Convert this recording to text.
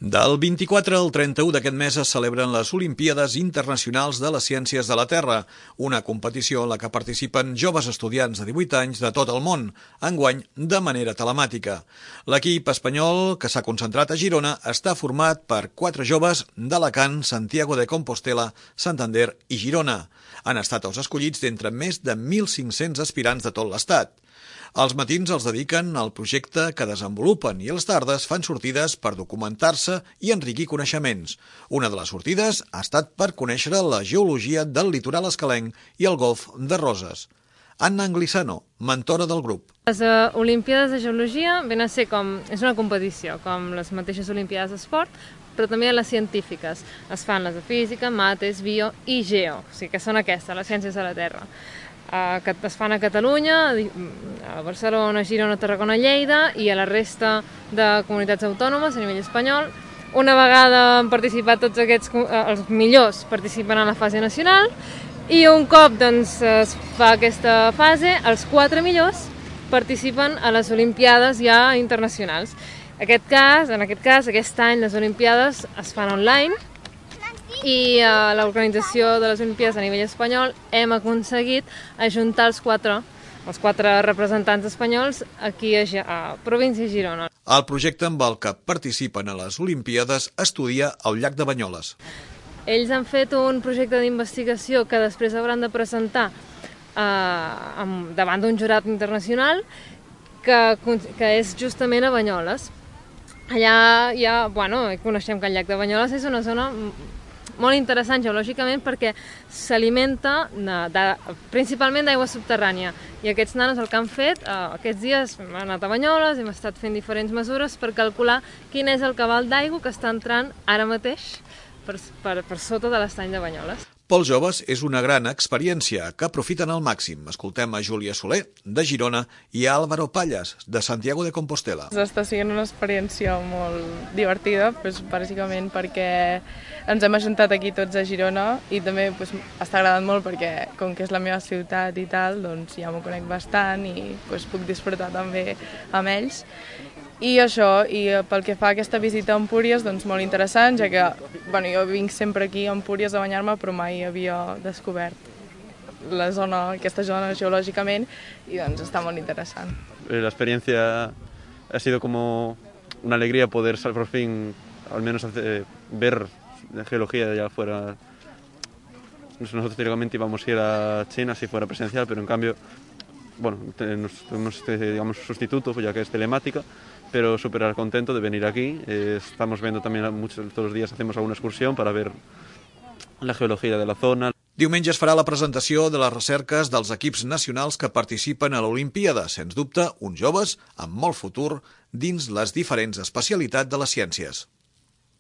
Del 24 al 31 d'aquest mes es celebren les Olimpíades Internacionals de les Ciències de la Terra, una competició en la que participen joves estudiants de 18 anys de tot el món, enguany de manera telemàtica. L'equip espanyol, que s'ha concentrat a Girona, està format per 4 joves d'Alacant, Santiago de Compostela, Santander i Girona. Han estat els escollits d'entre més de 1.500 aspirants de tot l'estat. Els matins els dediquen al projecte que desenvolupen i les tardes fan sortides per documentar-se i enriquir coneixements. Una de les sortides ha estat per conèixer la geologia del litoral escalenc i el golf de Roses. Anna Anglissano, mentora del grup. Les Olimpíades de Geologia ven a ser és una competició, com les mateixes Olimpíades d'Esport, però també les científiques. Es fan les de física, mates, bio i geo, o sigui que són aquestes, les ciències de la Terra. Que es fan a Catalunya, a Barcelona, Girona, Tarragona, Lleida i a la resta de comunitats autònomes a nivell espanyol. Una vegada han participat tots els millors participen a la fase nacional i un cop es fa aquesta fase, els 4 millors participen a les Olimpiades ja internacionals. En aquest cas, aquest any les Olimpiades es fan online i a l'organització de les Olimpíades a nivell espanyol hem aconseguit ajuntar els quatre representants espanyols aquí a província de Girona. El projecte amb el que participen a les Olimpíades estudia el llac de Banyoles. Ells han fet un projecte d'investigació que després hauran de presentar davant d'un jurat internacional que és justament a Banyoles. Allà coneixem que el llac de Banyoles és una zona molt interessant geològicament perquè s'alimenta principalment d'aigua subterrània i aquests nanos el que han fet aquests dies hem anat a Banyoles, hem estat fent diferents mesures per calcular quin és el cabal d'aigua que està entrant ara mateix per sota de l'estany de Banyoles. Pels joves és una gran experiència que aprofiten al màxim. Escoltem a Júlia Soler, de Girona, i a Álvaro Pallas, de Santiago de Compostela. Està sent una experiència molt divertida, bàsicament perquè ens hem ajuntat aquí tots a Girona i també està agradant molt perquè, com que és la meva ciutat i tal, doncs ja m'ho conec bastant i puc disfrutar també amb ells. I això, i pel que fa a aquesta visita a Empúries, doncs molt interessant, ja que jo vinc sempre aquí a Empúries a banyar-me, però mai havia descobert aquesta zona geològicament i doncs està molt interessant. La experiencia ha sido como una alegría poder por fin al menos ver la geología de allá afuera. Nosotros teóricamente íbamos a ir a China si fuera presencial, pero en cambio tenemos digamos sustituto, ya que es telemática, pero súper contento de venir aquí. Estamos viendo también todos los días hacemos alguna excursión para ver la geología de la zona. Diumenge es farà la presentació de les recerques dels equips nacionals que participen a l'Olimpíada, sens dubte, uns joves amb molt futur dins les diferents especialitats de les ciències.